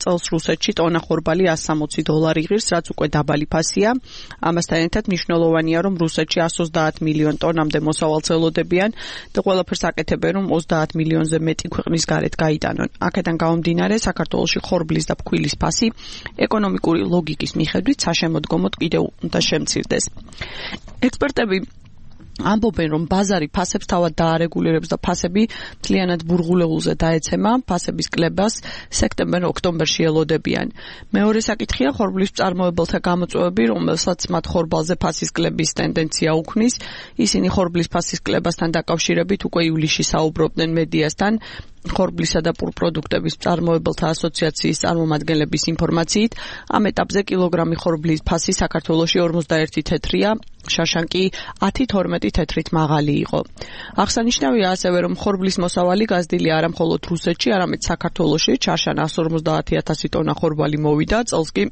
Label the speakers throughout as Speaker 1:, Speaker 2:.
Speaker 1: წელს რუსეთში ტონა ხორბალი $160 იღებს, რაც უკვე დაბალი ფასია. ამასთან ერთად მნიშვნელოვანია, რომ რუსეთში 130 მილიონ ტონამდე მოსავალს ელოდებიან და ყველაფერს აკეთებენ, რომ 30 მილიონზე მეტი ქვეყნის გარეთ გაიტანონ. აქედან გამომდინარე, საქართველოში ხორბლის და ფქვილის ფასი ეკონომიკური ლოგიკის მიხედვით საშემოდგომოდ კიდევ უნდა შემცირდეს. ექსპერტები ამბობენ, რომ ბაზარი ფასებს თავად დაარეგულირებს და ფასები მთლიანად ბურღულეულზე დაეცემა, ფასების კლებას სექტემბერ-ოქტომბერში ელოდებიან. მეორე საკითხია ხორბლის მწარმოებელთა გამოწვევები, რომელსაც მათ ხორბალზე ფასის კლების ტენდენცია უქმნის. ისინი ხორბლის ფასის კლებასთან დაკავშირებით უკვე ივლისში საუბრობდნენ მედიასთან. ხორბლისა და პურპროდუქტების მწარმოებელთა ასოციაციის წარმომადგენლების ინფორმაციით, ამ ეტაპზე კილოგრამი ხორბლის ფასი საქართველოში 41 თეთრია, შაშან კი 10-12 თეთრით მაღალი იყო. აღსანიშნავია ასევე, რომ ხორბლის მოსავალი გაზრდილი არა მხოლოდ რუსეთში, არამედ საქართველოში, შაშან 150,000 ტონა ხორბალი მოვიდა, წელს კი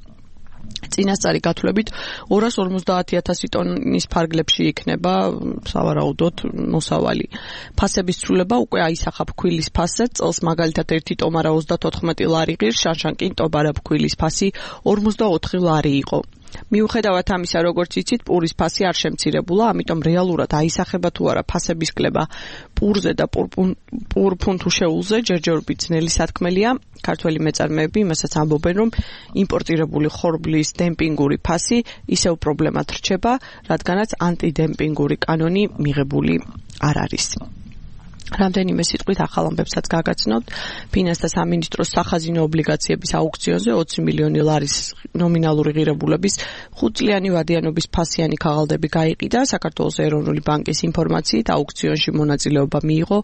Speaker 1: წინასწარი გათვლებით 250,000 ტონის ფარგლებში იქნება სავარაუდოდ მოსავალი. ფასების ცვლილება უკვე აისახა ფქვილის ფასზე, წელს მაგალითად 1 ტომარა 34 ლარი ღირს, შანშან კი ტომარა ფქვილის ფასი 44 ლარი იყო. მიუხედავად ამისა, როგორც იცით, პურის ფასი არ შემცირებულა, ამიტომ რეალურად აისახება თუ არა ფასების კლება პურზე და პურფუნთუშეულზე ჯერჯერობით ძნელი სათქმელია. ქართველი მეწარმეები იმასაც ამბობენ, რომ იმპორტირებული ხორბლის დემპინგური ფასი ისევ პრობლემად რჩება, რადგანაც ანტიდემპინგური კანონი მიღებული არ არის. რამდენიმე სიტყვით ახალ ამბებსაც გაგაცნობთ. ფინანსთა სამინისტროს სახაზინო ობლიგაციების აუქციონზე 20 მილიონი ლარის ნომინალური ღირებულების 5 წლიანი ვადიანობის ფასიანი ქაღალდები გაიყიდა. საქართველოს ეროვნული ბანკის ინფორმაციით აუქციონში მონაწილეობა მიიღო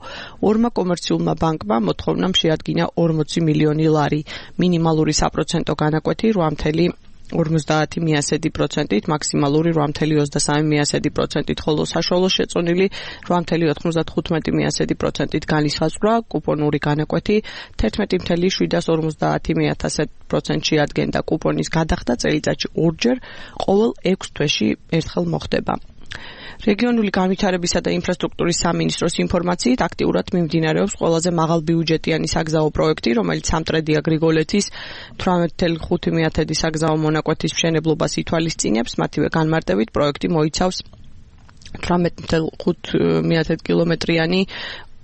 Speaker 1: 2 კომერციულმა ბანკმა, მოთხოვნამ შეადგინა 40 მილიონი ლარი. მინიმალური საპროცენტო განაკვეთი 8,50%-ით, მაქსიმალური 8,23%-ით, ხოლო საშუალო შეწონილი 8,95%-ით განისაზღვრა. კუპონური განაკვეთი 11,750% შეადგენდა. კუპონის გადახდა წელიწადში 2 ჯერ ყოველ 6 თვეში ერთხელ მოხდება. რეგიონული განვითარებისა და ინფრასტრუქტურის სამინისტროს ინფორმაციით აქტიურად მიმდინარეობს ყველაზე მაღალბიუჯეტიანი საგზაო პროექტი, რომელიც სამტრედია გრიგოლეთის 18,5 საგზაო მონაკვეთის მშენებლობას ითვალისწინებს. მათივე განმარტებით პროექტი მოიცავს 18,5 კილომეტრიანი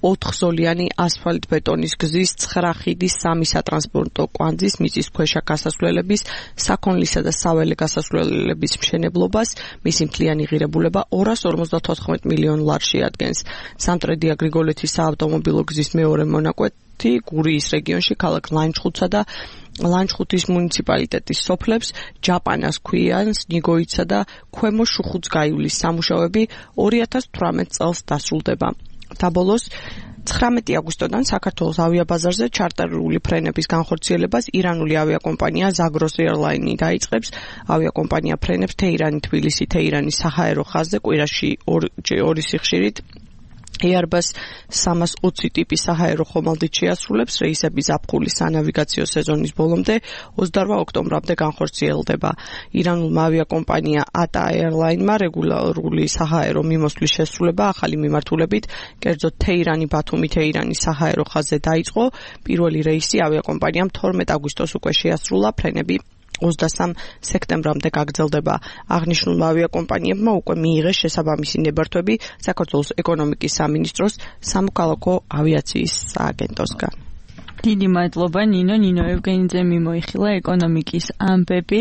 Speaker 1: 4-ზოლიანი ასფალტ-ბეტონის გზის 9 ხიდის 3 სატრანსპორტო კვანძის მიწისქვეშა გასასვლელების, საქონლისა და საველე გასასვლელების მშენებლობას. მისი მთლიანი ღირებულება 254 მილიონ ლარს შეადგენს. სამტრედია გრიგოლეთის საავტომობილო გზის მეორე მონაკვეთი გურიის რეგიონში ქალაქ ლანჩხუთსა და ლანჩხუთის მუნიციპალიტეტის სოფლებს, ჯაპანას, ქვიანს, ნიგოიცსა და ქვემო შუხუცგაიულის სამუშაოები 2018 წელს დასრულდება. დაბოლოს 19 აგვისტოდან საქართველოს ავიაბაზარზე ჩარტერული ფრენების განხორციელებას ირანული ავიაკომპანია Zagros Airline დაიწყებს. ავიაკომპანია ფრენებს თეირანი-თბილისი, თეირანის საჰაერო ხაზზე კვირაში 2 სიხშირით Airbus 320 ტიპის საჰაერო ხომალდით შეასრულებს. რეისები ზაფხულის სანავიგაციო სეზონის ბოლომდე 28 ოქტომბრამდე განხორციელდება. ირანულმა ავიაკომპანია ATA Airline-მა რეგულარული საჰაერო მიმოსვლის შესრულება ახალი მიმართულებით, კერძოდ თეირანი-ბათუმი-თეირანის საჰაერო ხაზზე დაიწყო. პირველი რეისი ავიაკომპანიამ 12 აგვისტოს უკვე შეასრულა, ფრენები 23 სექტემბრამდე გაგრძელდება. აღნიშნულმა ავიაკომპანიებმა უკვე მიიღეს შესაბამისი ნებართვები საქართველოს ეკონომიკის სამინისტროს სამოქალაქო ავიაციის სააგენტოსგან.
Speaker 2: დიდი მადლობა ნინო ევგენიძე მიმოიხილა ეკონომიკის ამბები.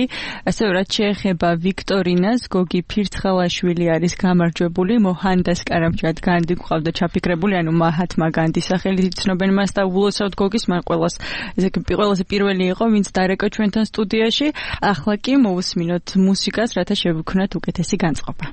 Speaker 2: ასევე რაც შეეხება ვიქტორინას, გოგი ფირცხალაშვილი არის გამარჯვებული, მოჰანდას კარამჩად განდი გვყავდა ჩაფიქრებული, ანუ მაჰათმა განდის სახელით იცნობენ მას და ულოცავთ გოგის, მან ყველაზე პირველი იყო, ვინც დარეკა ჩვენთან სტუდიაში. ახლა კი მოვუსმინოთ მუსიკას, რათა შევიქმნათ უკეთესი განწყობა.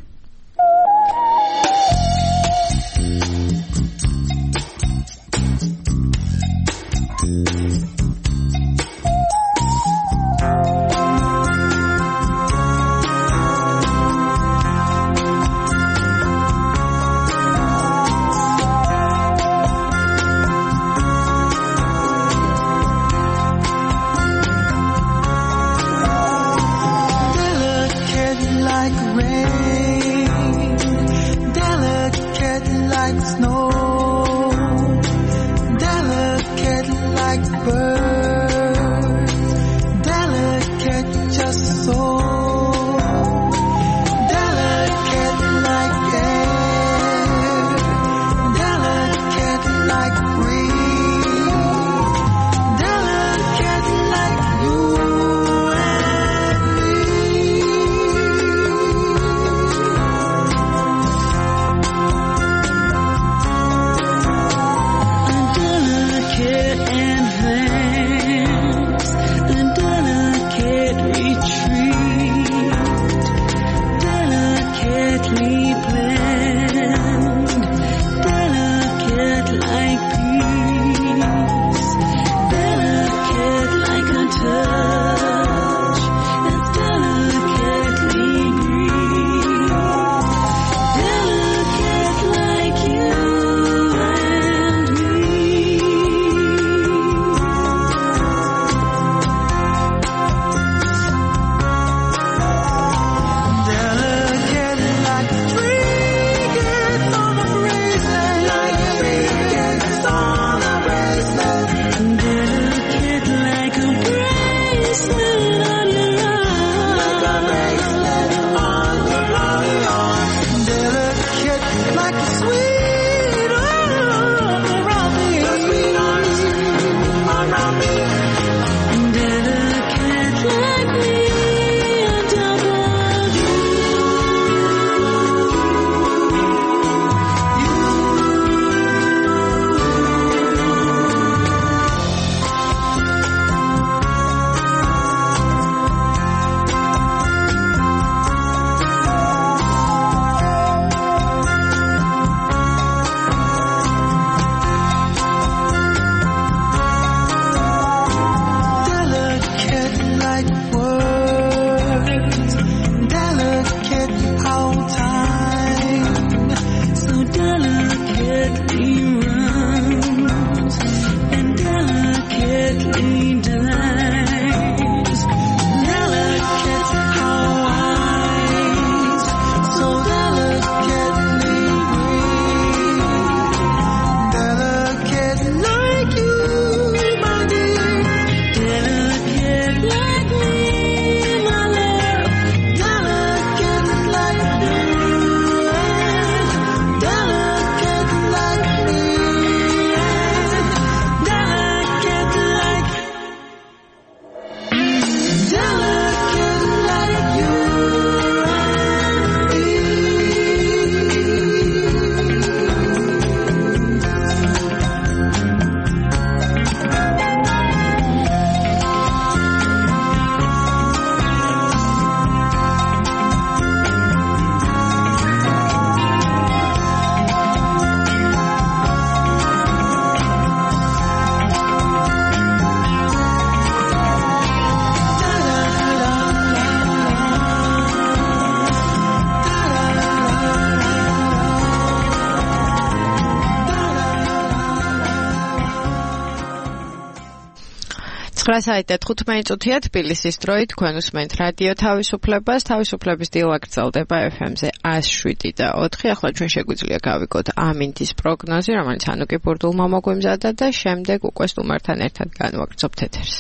Speaker 3: Delicate like rain. 9:15 თბილისის დროით თქვენ უსმენთ რადიო თავისუფლებას. თავისუფლების დილა გრძელდება FM-ზე 107.4. ახლა ჩვენ შეგვიძლია გავიგოთ ამინდის პროგნოზი, რომელიც ანუკი ბურდულმა მოგვიმზადა და შემდეგ უკვე სტუმართან ერთად განვაგრძობთ ეთერს.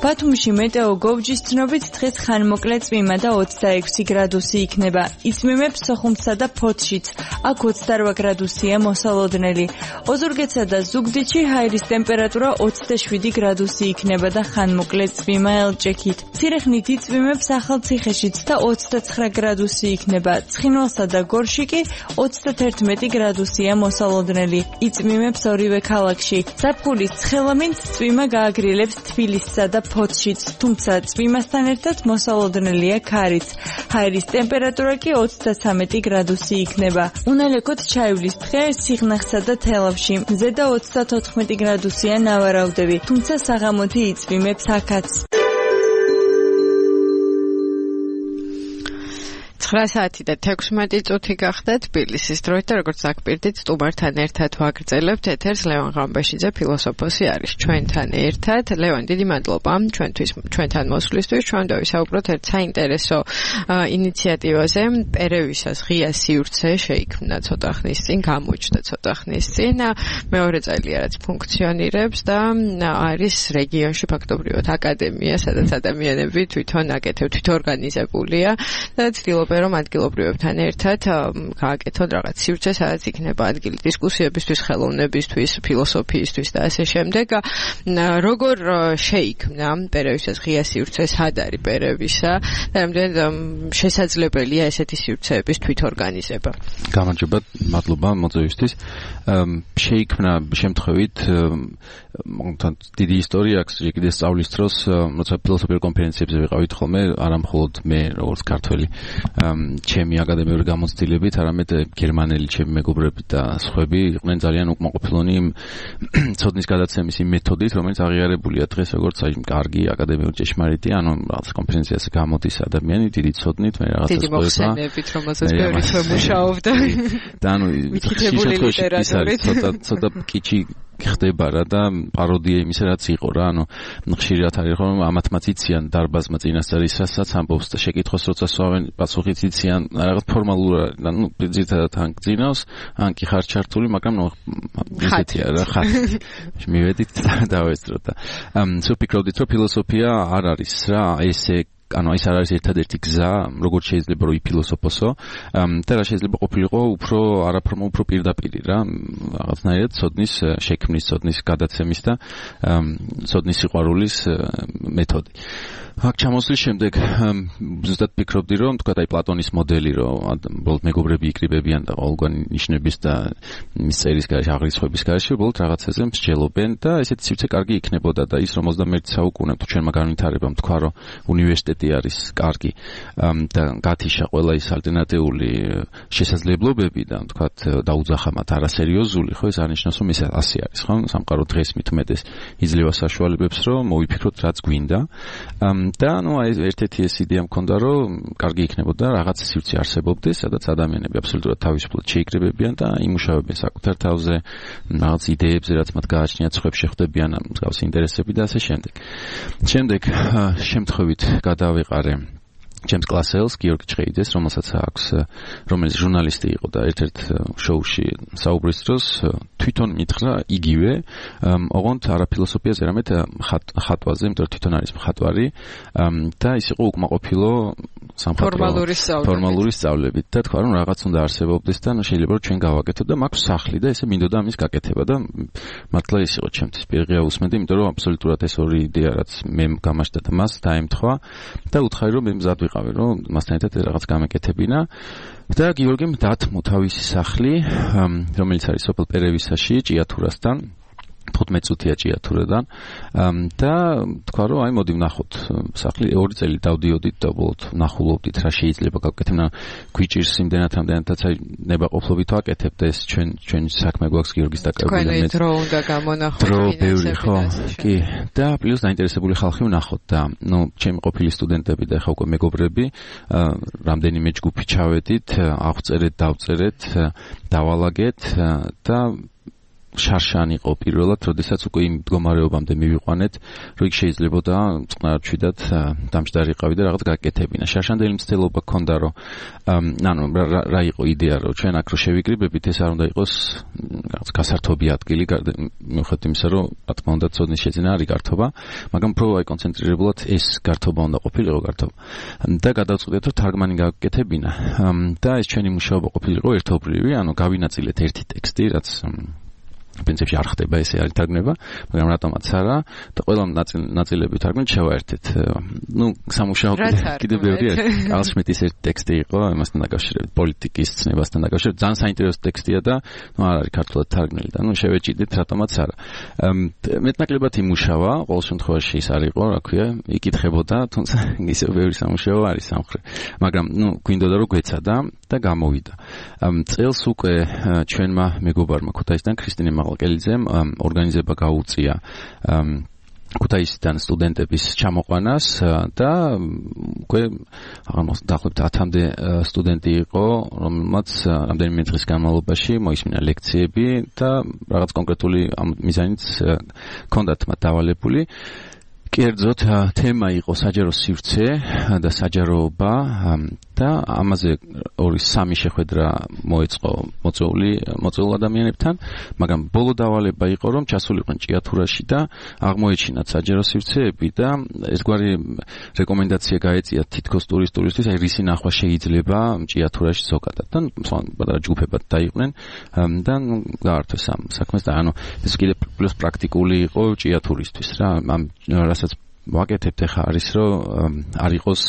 Speaker 2: ბათუმში მეტეოგოვჯის ცნობით დღეს ხანმოკლე წვიმა და 26 გრადუსი იქნება. იწვიმებს სოხუმსა და ფოთშიც. აქ 28 გრადუსია მოსალოდნელი. ოზურგეთსა და ზუგდიდში ჰაერის ტემპერატურა 27 გრადუსი იქნება და ხანმოკლე წვიმა ელჭექით. ცირეხნით იწვიმებს ახალციხეშიც და 29 გრადუსი იქნება. ცხინვალსა და გორში კი 31 გრადუსია მოსალოდნელი. იწვიმებს ორივე ქალაქში. ზაფხულის ცხელამინც წვიმა გააგრილებს თბილისსა და ფოთშიც, თუმცა წვიმასთან ერთად მოსალოდნელია ქარიც. ჰაერის ტემპერატურა კი 33 გრადუსი იქნება. უნალექოთ ჩაივლის დღე სიღნაღსა და თელავში. ზედა 34 გრადუსია ნავარავდები, თუმცა საღამოთი იწვიმებს აქაც.
Speaker 3: 9:16 გახდა თბილისის დროით და როგორც აკპირდით სტუმართან ერთად ვაგრძელებთ ეთერს. ლევან ღამბეშიძე ფილოსოფოსი არის ჩვენთან ერთად. ლევან, დიდი მადლობა ჩვენთან მოსვლისთვის. ჩვენ დავისაუბროთ ერთ საინტერესო ინიციატივაზე. პერევისას ღია სივრცე შეიქმნა ცოტა ხნის წინ, გამოჩნდა ცოტა ხნის წინ. მეორე წელია რაც ფუნქციონირებს და არის რეგიონში ფაქტობრივად აკადემია, სადაც ადამიანები თვითონ თვითორგანიზებულია და ცდილობენ რომ ადგილობრივებთან ერთად გააკეთონ რაღაც სივრცე, სადაც იქნება ადგილი დისკუსიებისთვის, ხელოვნებისთვის, ფილოსოფიისთვის და ასე შემდეგ. როგორ შეიქმნა პერევისას ღია სივრცე, სად არის პერევისა და რამდენად შესაძლებელია ესეთი სივრცეების თვითორგანიზება?
Speaker 4: გამარჯობა, მადლობა მოწვევისთვის. შეიქმნა შემთხვევით დიდი ისტორია აქვს. კიდე სწავლის დროს, როცა ფილოსოფიურ კონფერენციებზე ვიყავით ხოლმე, არა მხოლოდ მე როგორც ქართველი ჩემი აკადემიური გამოცდილებით, არამედ გერმანელი ჩემი მეგობრები და სხვები იყვნენ ძალიან უკმაყოფილონი ცოდნის გადაცემის იმ მეთოდით, რომელიც აღიარებულია დღეს როგორც აი კარგი აკადემიური ჭეშმარიტი, ანუ რაღაც კონფერენციაზე გამოდის ადამიანი დიდი ცოდნით, მე რაღაცას
Speaker 3: დიდი მოხსენებით, რომელსაც ბევრი თვე მუშაობდა.
Speaker 4: და ანუ ცოტა კიჩი ხდება რა და პაროდია იმისა რაც იყო რა, ანუ ხშირად არის რომ ამათმაც იციან დარბაზმა წინასწარ ისაც ამბობს და შეკითხოს როცა სვავენ პასუხიც იციან რაღაც ფორმალურად, ანუ ძირითადად ან გძინავს, ან კი ხარ ჩართული, მაგრამ ისეთია რა ხარ. მივედით და დავესწრო და სულ ფიქრობდით რომ ფილოსოფია არ არის რა ესე ანუ ის არ არის ერთადერთი გზა, როგორც შეიძლება რომ იფილოსოფოსო და რა შეიძლება ყოფილიყო უფრო არაფორმო უფრო პირდაპირი რა, რაღაცნაირად ცოდნის შექმნის, ცოდნის გადაცემის და ცოდნის სიყვარულის მეთოდი. აქ ჩამოსვლის შემდეგ ზუსტად ფიქრობდი რომ თქვა აი პლატონის მოდელი რომ უბრალოდ მეგობრები იკრიბებიან და ყოველგვარი ნიშნების და მის წერის გარშე აღრიცხვების გარშე უბრალოდ რაღაცაზე მსჯელობენ და ესეთი სივრცე კარგი იქნებოდა და ის რომ 21 საუკუნე თუ ჩვენმა განვითარებამ თქვა რომ უნივერსიტეტი არის კარგი და გათიშა ყველა ის ალტერნატიული შესაძლებლობები და თქვა დაუძახა მათ არასერიოზული, ხო ეს არნიშნავს რომ ეს ასე არის, ხო? სამყარო დღეს მით უმეტეს იძლევა საშუალებებს რომ მოვიფიქროთ რაც გვინდა. და ანუ ერთ-ერთი ეს იდეა მქონდა რომ კარგი იქნებოდა რაღაც სივრცე არსებობდეს, სადაც ადამიანები აბსოლუტურად თავისუფლად შეიკრიბებიან და იმუშავებენ საკუთარ თავზე, რაღაც იდეებზე, რაც მათ გააჩნიათ, სხვებს შეხვდებიან მსგავსი ინტერესები და ასე შემდეგ. შემდეგ შემთხვევით გადავიყარე ჩემს კლასელს გიორგი ჭყეიძეს, რომელიც ჟურნალისტი იყო და ერთ-ერთ შოუში საუბრის დროს თვითონ მითხრა იგივე, ოღონდ არა ფილოსოფიაზე, არამედ ხატვაზე, იმიტომ რომ თვითონ არის მხატვარი და ის იყო უკმაყოფილო ფორმალური სწავლებით და თქვა რომ რაღაც უნდა არსებობდეს და შეიძლება რომ ჩვენ გავაკეთოთ და მაქვს სახლი და ესე მინდოდა ამის გაკეთება და მართლა ის იყო ჩემთვის პირღია უსმენდი, იმიტომ რომ აბსოლუტურად ეს ორი იდეა რაც მე გამაჩნდა და მას დაემთხვა და უთხარი რომ მე მზად ვიყავი რომ მასთან ერთად რაღაც გამეკეთებინა და გიორგიმ დათმო თავისი სახლი, რომელიც არის სოფელ პერევისაში, ჭიათურასთან 15 წუთია ჭიათურიდან და თქვა რომ აი მოდი ვნახოთ სახლი 2 წელი დავდიოდით და უბრალოდ ვნახულობდით რა შეიძლება გავკეთებ და გვიჭირს იმდენათაც აი ნებაყოფლობით ვაკეთებთ ეს ჩვენ საქმე გვაქვს გიორგის დაკავებული
Speaker 3: მე დრო უნდა გამონახოთ
Speaker 4: დრო ბევრი ხო კი და პლუს დაინტერესებული ხალხი ვნახოთ და ნუ ჩემი ყოფილი სტუდენტები და ხა უკვე მეგობრები რამდენიმე ჯგუფი ჩავედით აღვწერეთ დავწერეთ დავალაგეთ და შარშან იყო პირველად, როდესაც უკვე იმ მდგომარეობამდე მივიყვანეთ, რომ იქ შეიძლებოდა წყნარჩვიდად დამჯდარიყავი და რაღაც გაკეთებინა. შარშანდელი მცდელობა ქონდა, რომ რა იყო იდეა, რომ ჩვენ აქ რო შევიკრიბებით, ეს არ უნდა იყოს რაღაც გასართობი ადგილი, მიუხედავად იმისა, რომ რა თქმა უნდა ცოდნის შეძენა არის გართობა, მაგრამ უფრო აი კონცენტრირებულად ეს გართობა უნდა ყოფილიყო გართობა. და გადავწყვიტეთ, რომ თარგმანი გაკეთებინა და ეს ჩვენი მუშაობა ყოფილიყო ერთობლივი, ანუ გავინაწილეთ ერთი ტექსტი, რაც პრინციპში არ ხდება ესე არ ითარგმნება, მაგრამ რატომაც არა და ყველა ნაწილები თარგმნით შევაერთეთ. ნუ სამუშაო კიდევ ბევრი არის. ალშმიტის ერთი ტექსტი იყო, იმასთან დაკავშირებით, პოლიტიკის ცნებასთან დაკავშირებით, ძალიან საინტერესო ტექსტია და ნუ არ არის ქართულად თარგმნილი და ნუ შევეჭიდეთ რატომაც არა. მეტნაკლებად იმუშავა, ყოველ შემთხვევაში ის არ იყო, რა ქვია, იკითხებოდა, თუმცა ისე ბევრი სამუშაო არის სამხრეთ. მაგრამ ნუ გვინდოდა რომ გვეცადა და გამოვიდა. წელს უკვე ჩვენმა მეგობარმა ქუთაისიდან ქრისტინე მაღალკელიძემ ორგანიზება გაუწია ქუთაისიდან სტუდენტების ჩამოყვანას და უკვე დაახლოებით 10-მდე სტუდენტი იყო, რომელმაც რამდენიმე დღის განმავლობაში მოისმინა ლექციები და რაღაც კონკრეტული მიზანიც ჰქონდათ მათ დავალებული. კერძოდ თემა იყო საჯარო სივრცე და საჯაროობა და ამაზე 2-3 შეხვედრა მოეწყო მოწვეულ ადამიანებთან, მაგრამ ბოლო დავალება იყო, რომ ჩასულიყვნენ ჭიათურაში და აღმოეჩინათ საჯარო სივრცეები და ესგვარი რეკომენდაცია გაეწიათ თითქოს ტურისტებისთვის, აი რისი ნახვა შეიძლება ჭიათურაში ზოგადად და პატარა ჯგუფებად დაიყვნენ და გაართვეს ამ საქმეს და ანუ ეს კიდე პლუს პრაქტიკული იყო ჭიათურისთვის რა ამ რასაც ვაკეთებთ ახლა არის რომ არ იყოს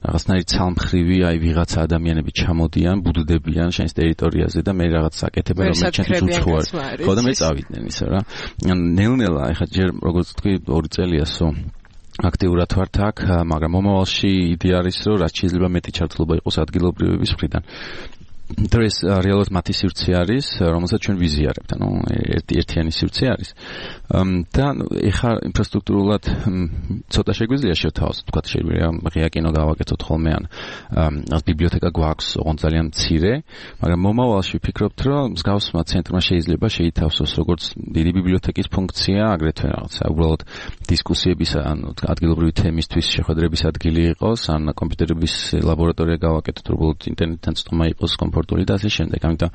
Speaker 4: რაღაცნაირი ცალმხრივი აი ვიღაცა ადამიანები ჩამოდიან, ბუდდებიან შენს ტერიტორიაზე და მე რაღაც აკეთებენ რომ ჩემთვის უცხოა. ხო და მე წავიდნენ ისე რა. ნელ-ნელა ახლა ჯერ როგორც თქვი 2 წელიასო აქტიურად ვართ აქ, მაგრამ მომავალში იდეა არის რომ რაც შეიძლება მეტი ჩართულობა იყოს ადგილობრივების მხრიდან. დღეს რეალურად მათი სივრცე არის, რომელსაც ჩვენ ვიზიარებთ, ანუ ერთიანი სივრცე არის. და ეხლა ინფრასტრუქტურულად ცოტა შეგვიძლია შევთავაზოთ, თქვა შეგვიძლია ღია კინო გავაკეთოთ ხოლმე ან ბიბლიოთეკა გვაქვს, ოღონდ ძალიან მცირე, მაგრამ მომავალში ვფიქრობთ, რომ მსგავსმა ცენტრმა შეიძლება შეითავსოს როგორც დიდი ბიბლიოთეკის ფუნქცია, აგრეთვე რაღაცა უბრალოდ დისკუსიების ან ადგილობრივი თემისთვის შეხვედრების ადგილი იყოს, ან კომპიუტერების ლაბორატორია გავაკეთოთ, უბრალოდ ინტერნეტთან წვდომა იყოს კომფორტული და ასე შემდეგ. ამიტომ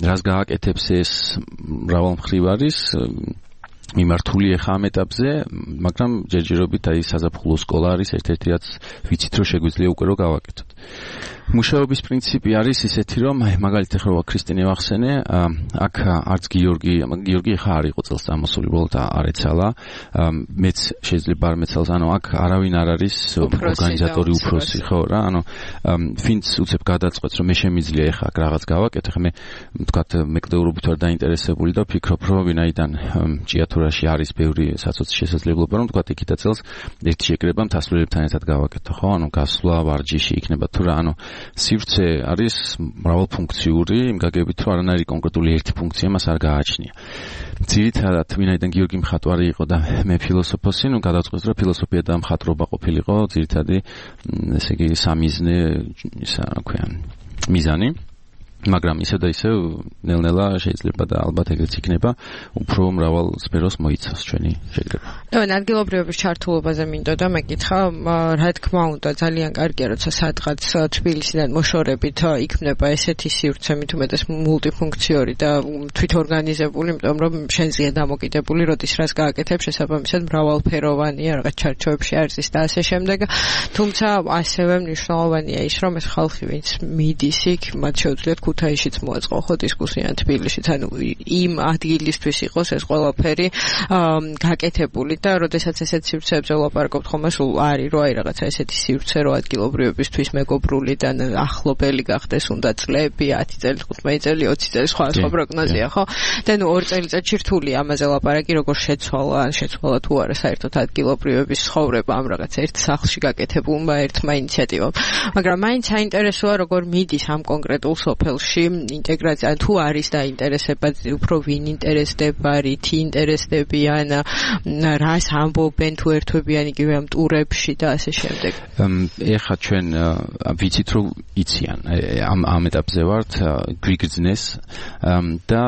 Speaker 4: რას გააკეთებს ეს მრავალმხრივ არის მიმართული ახლა ამ ეტაპზე, მაგრამ ჯერჯერობით აი საზაფხულო სკოლა არის ერთ-ერთი რაც ვიცით რომ შეგვიძლია უკვე რომ გავაკეთოთ. მუშაობის პრინციპი არის ისეთი რომ მაგალითად ახლა ქრისტინე ვახსენე, აქ არც გიორგი ახლა არ იყო წელს წამოსული, უბრალოდ არ ეცალა, მეც შეიძლება არ მეცალს, ანუ აქ არავინ არ არის ორგანიზატორი უფროსი, ხო რა, ანუ ვინც უცებ გადაწყვეტს რომ მე შემიძლია ახლა რაღაც გავაკეთე, ხა მე ვთქვათ მეკვლეურობით ვარ დაინტერესებული და ვფიქრობ რომ ვინაიდან ჭიათურაში არის ბევრი საცოცი შესაძლებლობა რომ ვთქვათ იქითა წელს ერთი შეკრება მთასვლილებთან ერთად გავაკეთო, ხო, ანუ გასვლა ვარჯიში იქნება თუ რა, ანუ სივრცე არის მრავალფუნქციური, იმ გაგებით რომ არანაირი კონკრეტული ერთი ფუნქცია მას არ გააჩნია. ძირითადად ვინაიდან გიორგი მხატვარი იყო და მე ფილოსოფოსი, ნუ გადავწყვეტ რომ ფილოსოფია და მხატვრობა ყოფილიყო ძირითადი ესე იგი სამიზნე ისა რა ქვია მიზანი. მაგრამ ისე და ისე ნელ-ნელა შეიძლება და ალბათ ეგრეც იქნება უფრო მრავალ სფეროს მოიცავს ჩვენი შეკრება.
Speaker 3: ადგილობრივების ჩართულობაზე მინდოდა მეკითხა, რა თქმა უნდა ძალიან კარგია, როცა სადღაც თბილისიდან მოშორებით იქმნება ესეთი სივრცე, მით უმეტეს მულტიფუნქციური და თვითორგანიზებული, იმიტომ რომ შენზეა დამოკიდებული, როდის რას გააკეთებ, შესაბამისად მრავალფეროვანია, რაღაც ჩარჩოებში არის ის და ასე შემდეგ. თუმცა ასევე მნიშვნელოვანია ის, რომ ეს ხალხი, ვინც მიდის იქ, მათ შეუძლიათ ქუთაისშიც მოაწყო ხო დისკუსია თბილისშიც, ანუ იმ ადგილისთვის იყოს ეს ყველაფერი გაკეთებული და როდესაც ესეთ სივრცეებზე ვლაპარაკობთ ხოლმე სულ არის რომ აი რაღაცა ესეთი სივრცე რო ადგილობრივებისთვის მეგობრულიდან ახლობელი გახდეს უნდა წლები 10 წელი 15 წელი 20 წელი სხვა პროგნოზია ხო და ნუ 2 წელიწადში რთულია ამაზე ლაპარაკი როგორ შეცვალა თუ არა საერთოდ ადგილობრივების ცხოვრება ამ რაღაც ერთ სახლში გაკეთებულმა ერთმა ინიციატივამ მაგრამ მაინც საინტერესოა როგორ მიდის ამ კონკრეტულ სოფელში ინტეგრაცია თუ არის დაინტერესება უფრო ვინ ინტერესდება რითი ინტერესდებიან რას ამბობენ თუ ერთვებიან იგივე ამ ტურებში და ასე შემდეგ
Speaker 4: ეხლა ჩვენ ვიცით რომ იციან ამ ეტაპზე ვართ გვიგრძნეს და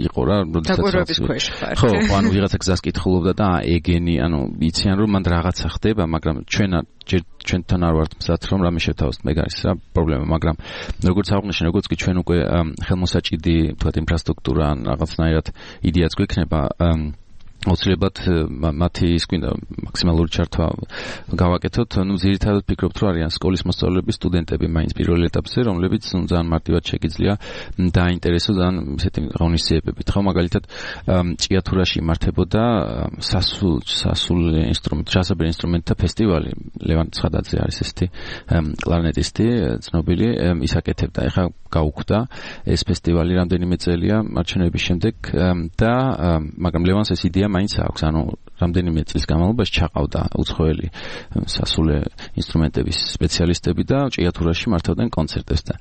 Speaker 4: იყო რა
Speaker 3: როდესაც
Speaker 4: ხო ანუ ვიღაცა გზას კითხულობდა და ეგენი ანუ იციან რომ მან რაღაცა ხდება მაგრამ ჩვენთან არ ვართ მზად რომ რამე შევთავაზოთ მე არის რა პრობლემა მაგრამ როგორც აღნიშნე როგორც კი ჩვენ უკვე ხელმოსაჭიდი თქვათ ინფრასტრუქტურა ან რაღაცნაირად იდეაც გვექნება აუცილებლად მათი ის გვინდა მაქსიმალური ჩართვა გავაკეთოთ. ნუ ძირითადად ფიქრობთ რომ არიან სკოლის მოსწავლეები, სტუდენტები მაინც პირველ ეტაპზე, რომლებიც ძალიან მარტივად შეგიძლია დაინტერესოს ან ისეთი ღონისძიებებით. ხო მაგალითად ჭიათურაში იმართებოდა სასულე ინსტრუმენტთა ფესტივალი. ლევან ცხადაძე არის ესეთი კლარნეტისტი, ცნობილი, ის აკეთებდა. ეხლა გაუქმდა ეს ფესტივალი რამდენიმე წელია მარჩენების შემდეგ და მაგრამ ლევანს ეს იდეა მაინც აქვს, ანუ რამდენიმე წლის განმავლობაში ჩაყავდა უცხოელი სასულე ინსტრუმენტების სპეციალისტები და ჭიათურაში მართავდნენ კონცერტებს და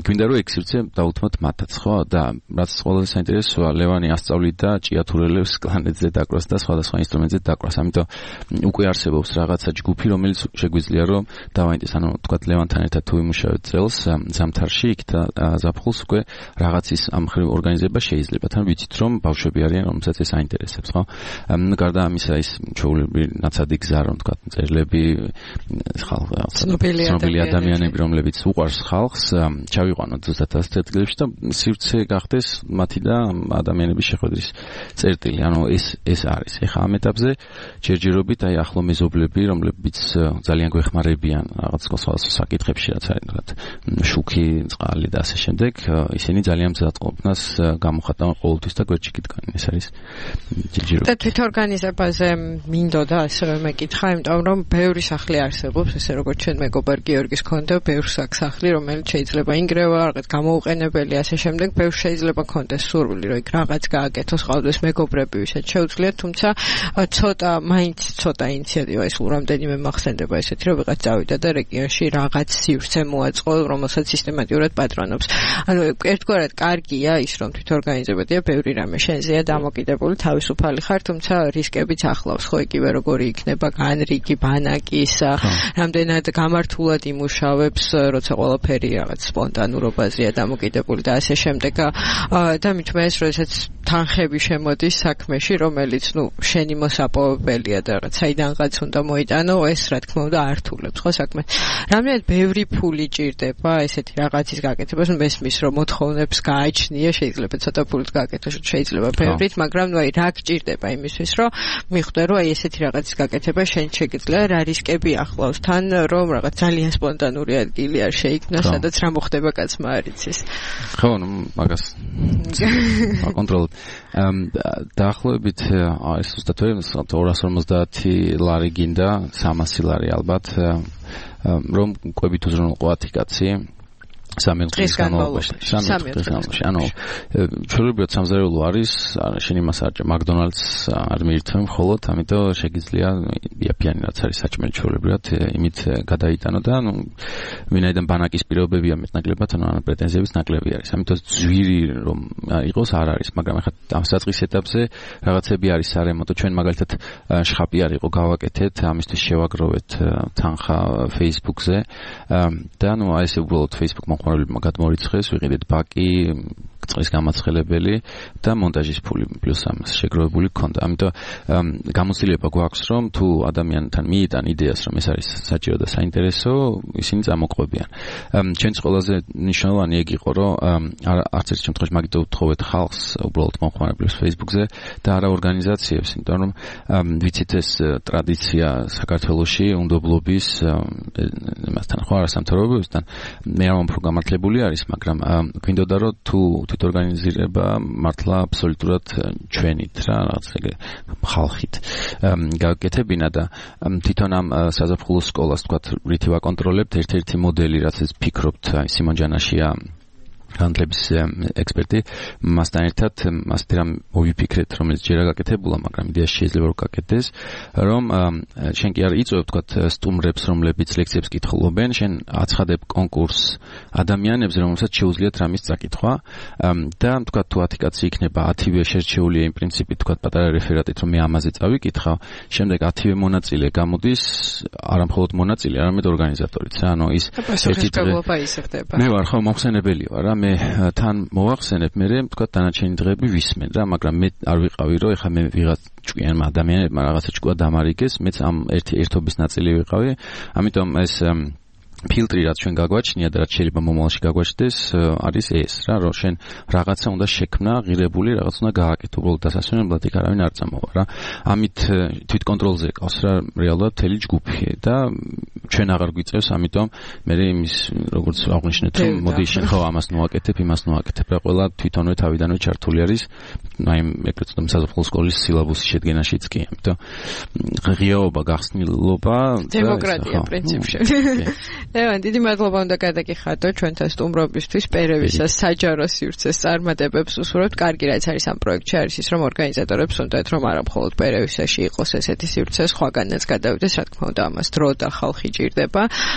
Speaker 4: გვინდა რომ ეგ სივრცე დაუთმოთ მათაც, ხო? და რაც ყველაზე საინტერესოა, ლევანი ასწავლიდა ჭიათურელებს კლარნეტზე დაკვრას და სხვადასხვა ინსტრუმენტზე დაკვრას. ამიტომ უკვე არსებობს რაღაცა ჯგუფი, რომელიც შეგვიძლია რომ დავაინტერესოს, ანუ თქვათ ლევანთან ერთად თუ იმუშავებთ წელს ზამთარში იქ და ზაფხულს უკვე რაღაცის ამ ხრივ ორგანიზება შეიძლება. თან ვიცით რომ ბავშვები არიან, რომელსაც ეს აინტერესებს, ხო? გარდა ამისა ის ჩვეულებრივი ნაცადი გზა რომ თქვათ წერილები ცნობილი ადამიანები რომლებიც უყვარს ხალხს ჩავიყვანოთ ზუსტად ასეთ ადგილებში და სივრცე გახდეს მათი და ადამიანების შეხვედრის წერტილი. ანუ ეს არის. ეხლა ამ ეტაპზე ჯერჯერობით აი ახლო მეზობლები რომლებიც ძალიან გვეხმარებიან რაღაც სხვადასხვა საკითხებში რაც არის თქვათ შუქი, წყალი და ასე შემდეგ ისინი ძალიან მზად ყოფნას გამოხატავენ ყოველთვის და გვერდჩიკით ეს არის ჯერჯერობით.
Speaker 3: და თვითორგანიზებაზე მინდოდა ასევე მეკითხა, იმიტომ რომ ბევრი სახლი არსებობს, ესე როგორც ჩვენ მეგობარ გიორგის ქონდა, ბევრი სახლი, რომელიც შეიძლება ინგრევა, რაღაც გამოუყენებელი, ასე შემდეგ, ბევრი შეიძლება ქონდეს სურვილი, რომ იქ რაღაც გააკეთოს, ყავდეს მეგობრები, ვისაც შეუძლიათ, თუმცა მაინც ცოტა ინიციატივა ის რამდენიმე მახსენდება ესეთი, რომ ვიღაც წავიდა და რეგიონში რაღაც სივრცე მოაწყო, რომელსაც სისტემატურად პატრონობს. ანუ ერთგვარად კარგია ის, რომ თვითორგანიზებადია, ბევრი რამე შენზეა დამოკიდებული, თავისუფალი ხარ, თუმცა რისკებიც ახლავს, ხო იგივე როგორი იქნება განრიგი ბანაკის, რამდენად გამართულად იმუშავებს, როცა ყველაფერი რაღაც სპონტანურობაზეა დამოკიდებული და ასე შემდეგ. და მithme ეს როდესაც თანხები შემოდის საქმეში, რომელიც შენი მოსაპოვებელია და რაღაც საიდანღაც უნდა მოიტანო, ეს რა თქმა უნდა ართულებს, ხო საქმეს. რამდენად ბევრი ფული ჭირდება ესეთი რაღაცის გაკეთებას, მესმის რომ მოთხოვნებს გააჩნია, შეიძლება ცოტა ფულით გააკეთოს, შეიძლება ბევრით, მაგრამ აი რა გჭირდება იმისთვის, რომ მიხვდე რომ აი ესეთი რაღაცის გაკეთება შენ შეგიძლია, რა რისკები ახლავს თან, რომ რაღაც ძალიან სპონტანური ადგილი არ შეიქმნა, სადაც რა მოხდება კაცმა არ იცის.
Speaker 4: ხო, მაგას აკონტროლებ. დაახლოებით ეს ზუსტად 250 ლარი გინდა, 300 ლარი ალბათ, რომ ყვებით უზრუნველყო კაცი 3 დღის განმავლობაში. ანუ ჩვეულებრივად სამზარეულო არის, შენ იმას არ მაკდონალდს არ მიირთმევ მხოლოდ, ამიტომ შეგიძლია იაფიანი რაც არის საჭმელი ჩვეულებრივად იმით გადაიტანო და ვინაიდან ბანაკის პირობებია მეტნაკლებად, ანუ პრეტენზიების ნაკლები არის. ამიტომ ძვირი რომ იყოს არ არის, მაგრამ ახლა ამ საწყის ეტაპზე რაღაცები არის სარემონტო. ჩვენ მაგალითად შხაპი არ იყო გავაკეთეთ, ამისთვის შევაგროვეთ თანხა Facebook-ზე და აი ესე უბრალოდ Facebook მოხმარებლებმა გადმორიცხეს, ვიყიდეთ ბაკი, წყლის გამაცხელებელი და მონტაჟის ფული პლუს ამას შეგროვებული ქონდა. ამიტომ გამოცდილება გვაქვს, რომ თუ ადამიანთან მიიტან იდეას, რომ ეს არის საჭირო და საინტერესო, ისინი წამოყვებიან. ჩვენც ყველაზე მნიშვნელოვანი ეგ იყო, რომ არც ერთ შემთხვევაში მაგით უთხოვეთ ხალხს, უბრალოდ მოხმარებლებს Facebook-ზე და არა ორგანიზაციებს, იმიტომ რომ ვიცით ეს ტრადიცია საქართველოში უნდობლობის მასთან ხო არასამთავრობოებთან მე არ მომფრ გამართლებული არის, მაგრამ გვინდოდა რომ თუ თვითორგანიზირება მართლა აბსოლუტურად ჩვენით რა, რაღაც ეგ ხალხით გაკეთებინა და თვითონ ამ საზაფხულო სკოლას თქვა რითი ვაკონტროლებთ, ერთ-ერთი მოდელი რაც ეს ფიქრობთ, სიმონ ჯანაშია განათლების ექსპერტი, მასთან ერთად ასეთი რამ მოვიფიქრეთ, რომელიც ჯერ გაკეთებულა, მაგრამ იდეა შეიძლება რომ გაკეთდეს, რომ შენ კი არ იწვევ თქვა სტუმრებს, რომლებიც ლექციებს კითხულობენ, შენ აცხადებ კონკურს ადამიანებს, რომელსაც შეუძლიათ რამის წაკითხვა და თქვა თუ 10 კაცი იქნება, 10-ვე შერჩეულია იმ პრინციპით, თქვა პატარა რეფერატით, რომ მე ამაზე წავიკითხავ, შემდეგ 10-ვე მონაწილე გამოდის, არა მხოლოდ მონაწილე, არამედ ორგანიზატორიც რა, ანუ ის
Speaker 3: ერთი დღეობა ისახდება.
Speaker 4: მე ვარ ხო მომხსენებელი ვარ რა, მე თან მოვახსენებ, მე თქვა დანარჩენი დღეები ვისმენ რა, მაგრამ მე არ ვიყავი რომ ეხა მე ვიღაც ჭკვიანმა ადამიანებმა რაღაცა ჭკუა დამარიგეს, მეც ამ ერთობის ნაწილი ვიყავი, ამიტომ ეს ფილტრი რაც ჩვენ გაგვაჩნია და რაც შეიძლება მომავალში გაგვაჩნდეს არის ეს რა, რომ შენ რაღაცა უნდა შექმნა, ღირებული რაღაც უნდა გააკეთო, უბრალოდ დასასვენებლად იქ არავინ არ წამოვა რა. ამით თვითკონტროლზე ყავს რა რეალურად მთელი ჯგუფი და ჩვენ აღარ გვიწევს, ამიტომ მე იმის როგორც აღნიშნეთ, რომ მოდი შენ ხო ამას ნოაკეთებ, იმას ნოაკეთებ რა, ყველა თვითონვე თავიდანვე ჩართული არის, აი ეგრეთ წოდებული საზაფხულო სკოლის სილაბუსის შედგენაშიც კი, ამიტომ ღიაობა, გახსნილობა და
Speaker 3: დემოკრატია პრინციპში. ლევან, დიდი მადლობა უნდა გადაგიხადო ჩვენთან სტუმრობისთვის, პერევისას საჯარო სივრცეს წარმატებებს უსურვებთ. კარგი რაც არის ამ პროექტში არის ის, რომ ორგანიზატორებს უნდათ რომ არა მხოლოდ პერევისაში იყოს ესეთი სივრცე, სხვაგანაც გადავიდეს, რა თქმა უნდა, ამას დრო და ხალხი ჭირდება.